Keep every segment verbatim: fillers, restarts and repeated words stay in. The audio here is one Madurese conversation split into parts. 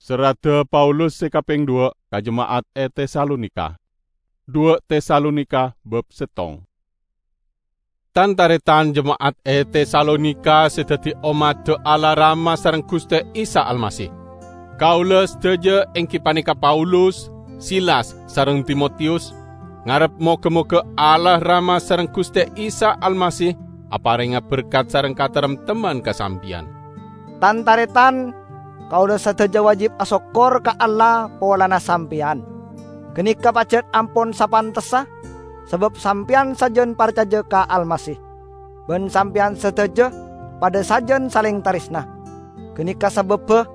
Serradda Paulus se kapeng dhuwa' ka jema'at e Tesalonika. Dhuwa' Tesalonika bab settong. Tan-taretan jema'at e Tesalonika se daddi ommadda Allah Rama sareng Guste Isa Almasih. Kaula sadaja, enggi paneka Paulus, Silas, sareng Timotius, ngarep moga-moga Allah Rama sareng Guste Isa Almasih aparenga berkat sareng kataremtemman ka sampeyan. Tan-taretan, kaula sadaja wajib asokkor ka Allah polana sampeyan. Ganeka pajat ampon sapantessa, sabab sampeyan sajan parcaja ka Almasih, ban sampeyan sadaja padha sajan saleng taresna. Ganeka sababba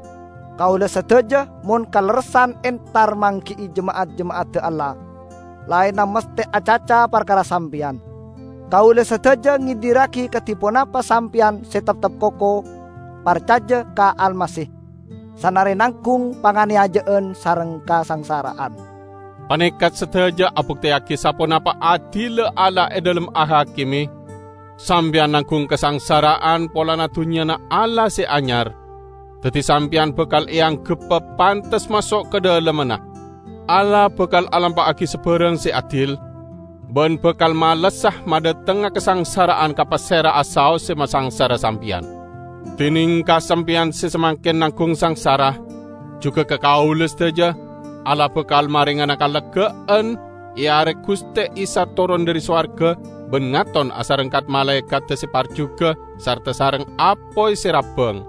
kaula sadaja mon kalerressan entar manggi'i jema'at-jema'adda Allah, laenna masthe acaca parkara sampeyan. Kaula sadaja ngedirragi kadi ponapa sampeyan se teptep koko parcaja ka Almasih, sanare nanggung panganeyaja'an sareng kasangsara'an. Paneka sadaja abukteyagi saponapa adilla Allah e dhalem ahakime. Sampeyan nanggung kasangsara'an polana Dunnyana Allah se Anyar, daddi sampeyan bakal eanggebba pantes maso' ka dhalemmanna. Allah bakal alampa'agi sabarang se adil, ban bakal malessa madhatengnga kasangsara'an ka pasera'a saos se masangsara sampeyan. Dineng ka sampeyan se samangken nanggung sangsara, juga ka kaula sadaja, Allah bakal marengana kalegga'an e are Guste Isa toron dhari sowarga ban ngaton asareng kat-malaekadda se parjuga sarta sareng apoy se rabbang.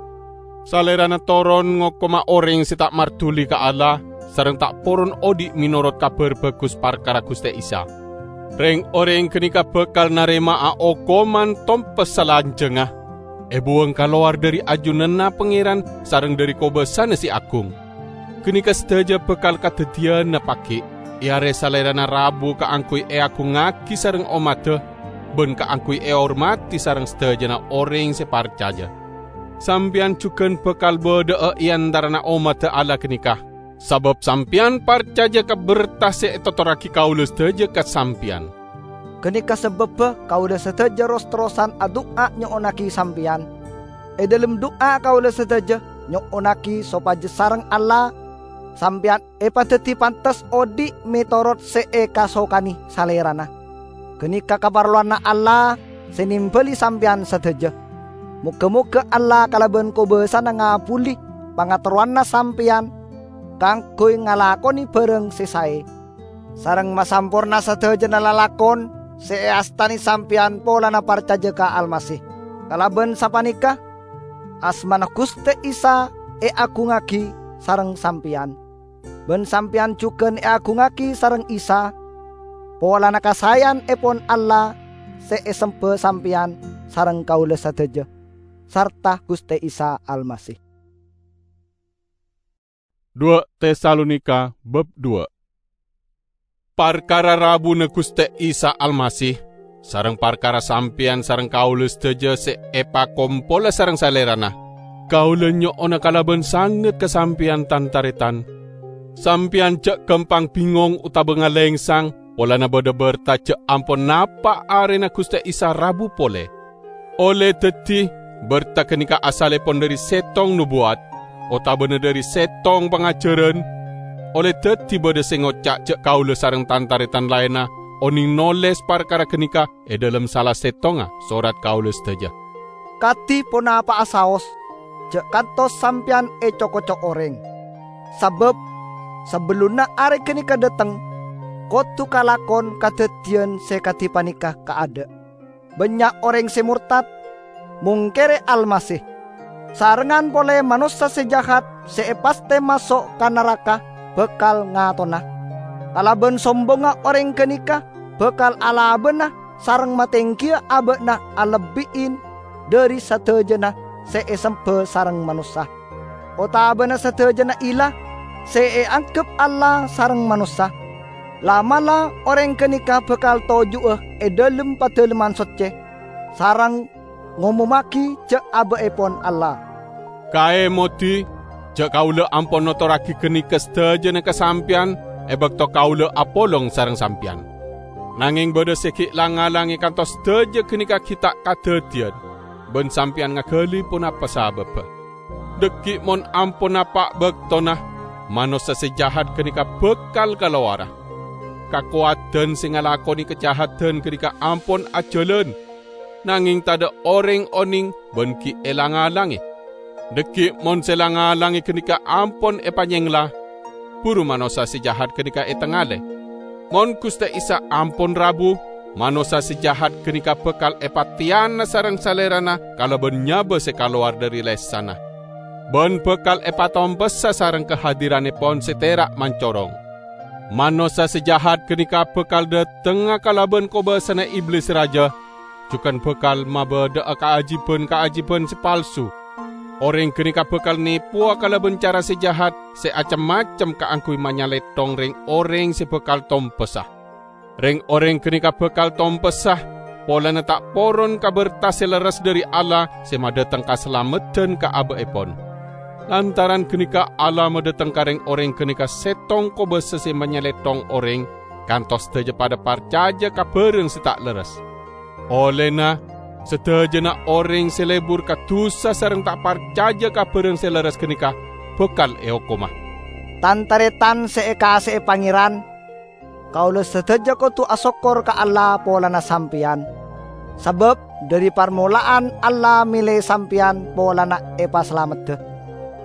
Salerana toron ngokoma oreng se ta' marduli ka Allah sareng ta' poron odhi' menorot Kabar Bagus parkara Guste Isa. Reng-oreng ganeka bakal narema'a okoman tompes salanjangnga, ebuwang kalowar dhari ajunanna Pangeran sareng dhari kobasana se agung. Ganeka sadaja bakal kadaddiyanna pagi' e are Salerana rabu kaangguy eagungngagi sareng ommadda ban kaangguy ehormadi sareng sadajana oreng se parcaja. Sampeyan jugan bakal badha'a e antarana ommadda Allah ganeka, sabab sampeyan parcaja ka berta se etotorragi kaula sadaja ka sampeyan. Ganeka sababba kaula sadaja ros-terrosan adu'a nyo'onnagi sampeyan. E dhalem du'a kaula sadaja nyo'onnagi sopaja sareng Allah sampeyan epadaddi pantes odhi' metorot se ekasokane Salerana. Ganeka kaparlowanna Allah se nembali sampeyan sadaja. Moga-moga Allah kalaban kobasana ngabuli pangaterrowanna sampeyan kaangguy ngalakone barang se sae, sareng masamporna sadajana lalakon se eastane sampeyan polana parcaja ka Almasih. Kalaban sapaneka, asmana Guste Isa eagungngagi sareng sampeyan, ban sampeyan jugan eagungngagi sareng Isa, polana kasaeyanepon Allah se esemba sampeyan sareng kaula sadaja, sarta Guste Isa Almasih. Dhuwa' Tesalonika bab dhuwa'. Parkara rabuna Guste Isa Almasih, sareng parkara sampeyan sareng kaula sadaja se epakompola sareng Salerana, kaula nyo'ona kalaban sanget ka sampeyan, tan-taretan. Sampeyan ja' gampang bingong otaba ngalengsang polana badha berta ja' ampon napa' arena Guste Isa rabu pole. Olle daddi, berta ganeka asallepon dhari settong nobuwat, otabana dhari settong pangajaran. Olle daddi badha se ngoca' ja' kaula sareng tan-taretan laenna oneng noles parkara ganeka e dhalem sala settonga sorat kaula sadaja. Kadi ponapa'a saos, ja' kantos sampeyan eco-koco oreng. Sabab, sabellunna are ganeka dhateng, kodu kalakon kadaddiyan se kadi paneka kaadha'. Bannya' oreng se mortad, mongkere Almasih. Sarengngan pole manossa se jahat se epasthe maso' ka naraka bakal ngatona. Kalaban sombongnga oreng ganeka bakal alabana sareng matenggiya aba'na alebbi'in dhari sadajana se esemba sareng manossa, otabana sadajana ila se eanggep Allah sareng manossa. La'-mala' oreng ganeka bakal toju'a e dhalem Padalemman Socce, sareng ngomommagi ja' aba'epon Allah. Kaemodi, ja' kaula ampon notorragi ganeka sadajana ka sampeyan e bakto kaula apolong sareng sampeyan. Nangeng badha se gi' lang-ngalange kantos sadaja ganeka gi' ta' kadaddiyan, ban sampeyan ngagali ponapa sababba. Dhaggi' mon ampon napa' baktona, manossa se jahat ganeka bakal kalowara. Kakowadan se ngalakone kajahadan ganeka ampon ajalan, nangeng tadha' oreng oneng ban gi' elang-alange. Dhaggi' mon se lang-alange ganeka ampon epanyengla, buru manossa se jahat ganeka etangale. Mon Guste Isa ampon rabu, manossa se jahat ganeka bakal epateyana sareng Salerana kalaban nyaba se kalowar dhari lesanna, ban bakal epatompessa sareng kahadiranepon se tera' mancorong. Manossa se jahat ganeka bakal dhatengnga kalaban kobasana Iblis Raja, jugan bakal mabadha'a kaajiban-kaajiban se palsu. Oreng ganeka bakal nepowa kalaban cara se jahat se acem-macem kaangguy manyalethong reng-oreng se bakal tompessa. Reng-oreng ganeka bakal tompessa polana ta' poron ka berta se lerres dhari Allah se madhateng kasalameddhan ka aba'epon. Lantaran ganeka Allah madhateng ka reng-oreng ganeka settong kobasa se manyalethong oreng, kantos sadaja padha parcaja ka barang se ta' lerres. Ollena, sadajana oreng se lebur ka dusa sareng ta' parcaja ka barang se lerres ganeka bakal eokoma. Tan-taretan se ekase'e Pangeran, kaula sadaja kodu asokkor ka Allah polana sampeyan, sabab dhari parmola'an Allah mele sampeyan polana epasalameddha.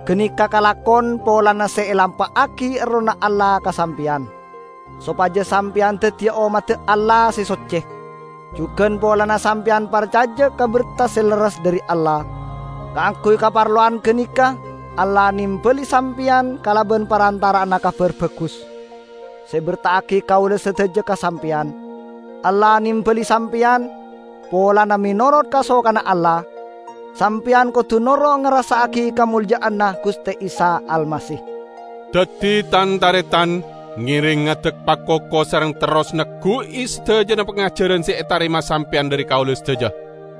Ganeka kalakon polana se elampa'agi Errohna Allah ka sampeyan, sopaja sampeyan daddiya ommadda Allah se socce. Jugan polana sampeyan parcaja ka berta se lerres dhari Allah, kaangguy kaparlowan ganeka Allah nembali sampeyan kalaban parantara'anna Kabar Bagus se berta'agi kaula sadaja ka sampeyan. Allah nembali sampeyan polana menorot kasokanna Allah. Sampeyan kodu noro' ngarassa'agi kamolja'anna Guste Isa Almasih. Daddi, tan-taretan, ngereng ngadek pakoko sareng terros neggu'i sadajana pangajaran se etarema sampeyan dhari kaula sadaja,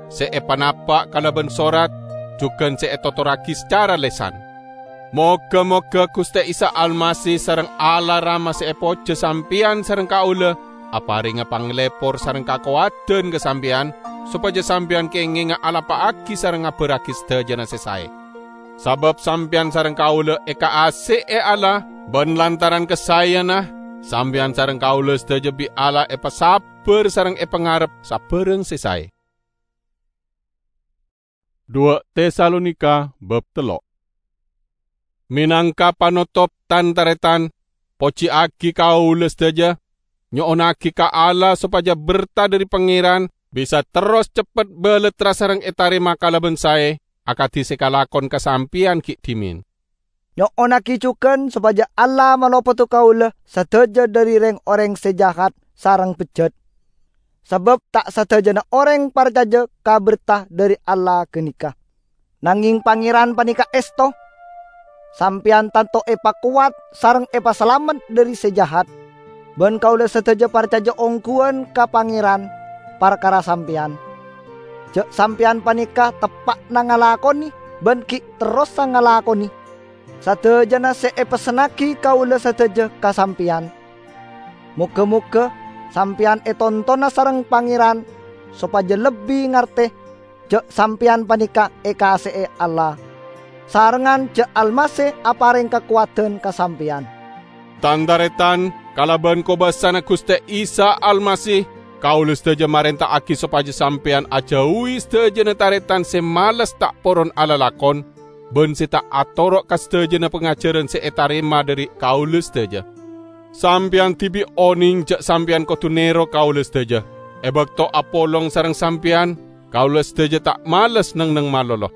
se epanapa' kalaban sorat, jugan se etotorragi sacara lesan. Moga-moga Guste Isa Almasih sareng Allah Rama se epoja sampeyan sareng kaula aparenga panglepor sareng kakowadan ka sampeyan, sopaja sampeyan kengenga alampa'agi sareng ngabarragi sadajana se sae. Sabab sampeyan sareng kaula ekaase'e Allah, ban lantaran kasaeyanna, sampeyan sareng kaula sadaja bi' Allah epasabbar sareng epangarep sabarang se sae. Dua Tesalonika bab tello'. Menangka panotop, tan-taretan, pojiyagi kaula sadaja, nyo'onnagi ka Allah sopaja berta dhari Pangeran bisa terros ceppet balattra sareng etarema kalaban sae, akadi se kalakon ka sampeyan gi' dhimen. Nyo'onnagi jugan sopaja Allah malopodhu kaula sadaja dhari reng-oreng se jahat sareng bejjat. Sabab ta' sadajana oreng parcaja ka berta dhari Allah ganeka. Nangeng Pangeran paneka esto. Sampeyan tanto epakowat sareng epasalamet dhari se jahat, ban kaula sadaja parcaja ongguwan ka Pangeran parkara sampeyan. Ja' sampeyan paneka teppa'na ngalakone ban gi' terrosa ngalakone sadajana se epessennagi kaula sadaja ka sampeyan. Moga-moga sampeyan etontona sareng Pangeran sopaja lebbi ngarte ja' sampeyan paneka ekase'e Allah, sarengngan ja' Almasih apareng kakowadan ka sampeyan. Tan-taretan, kalaban kobasana Guste Isa Almasih, kaula sadaja marenta'agi sopaja sampeyan ajauwi sadajana taretan se males ta' poron alalakon, ban se ta' atoro' ka sadajana pangajaran se etarema dhari kaula sadaja. Sampeyan dibi' oneng ja' sampeyan kodu nero kaula sadaja. E bakto apolong sareng sampeyan, kaula sadaja ta' males neng-enneng malolo.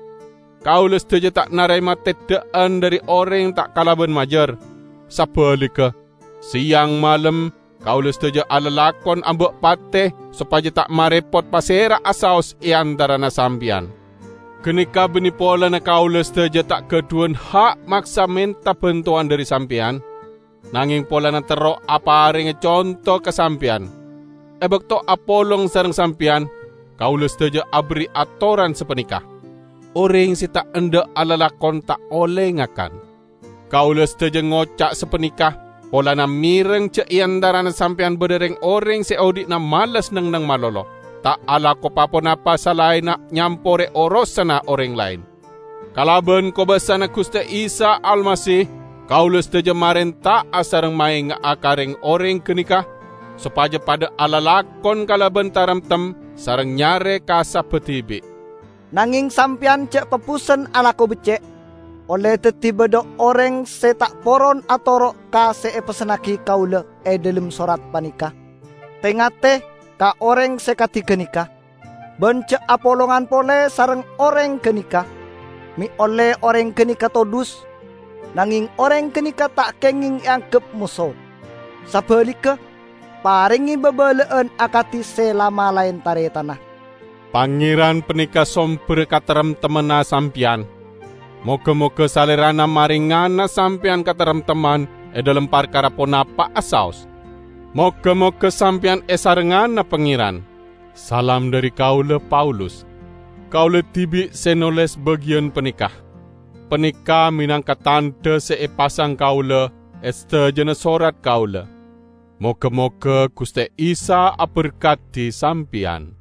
Kaula sadaja ta' narema teddha'an dhari oreng ta' kalaban majar. Sabaligga, seyang malem, kaula sadaja alalakon amba' pate sopaja ta' marepot pasera'a saos e antarana sampeyan. Ganeka banne polana kaula sadaja ta' gadhuwan ha' maksa menta bantowan dhari sampeyan, nangeng polana terro aparenga conto ka sampeyan. E bakto apolong sareng sampeyan, kaula sadaja aberri' atoran sapaneka, "Oreng se ta' endha' alalakon ta' olle ngakan." Kaula sadaja ngoca' sapaneka polana mereng ja' e antarana sampeyan badha reng-oreng se odhi'na males neng-enneng malolo, ta' alako pa-ponapa salaenna nyampore orosanna oreng laen. Kalaban kobasana Guste Isa Almasih, Kaulâ sadhâjâ marènta'a sareng maènga'a ka rèng-orèng ghânèka sopajâ padhâ alalakon kalabân taremtem sareng nyarè kasabbhâ dhibi'. Nangèng sampèyan jhâ' pabusen alako beccè', ollè dhâddhi bâdâ orèng sè ta' poron atoro' ka sè èpessennaghi kaulâ è dhâlem sorat panèka. Tè-ngatè ka orèng sè kadhi ghânèka, bân jhâ' apolongan polè sareng orèng ghânèka, mè' ollè orèng ghânèka todus, nangèng orèng ghânèka ta' kèngèng èangghep moso. Sabhâligghâ, parèngè bâbâlâ'ân akadhi sè la malaèn tarètanna. Pangèran panèka sombherra kataremtemmanna sampèyan. Moghâ-moghâ Salèrana marèngana sampèyan kataremtemman è dhâlem parkara ponapa'a saos. Moghâ-moghâ sampèyan èsarengngana Pangèran. Salam dhâri kaulâ, Paulus. Kaulâ dhibi' sè nolès bâgiyân panèka. Panèka mènangka tandhâ sè èpasang kaulâ è sadhâjâna sorat kaulâ. Moghâ-moghâ Ghustè Isa aberkadi sampèyan.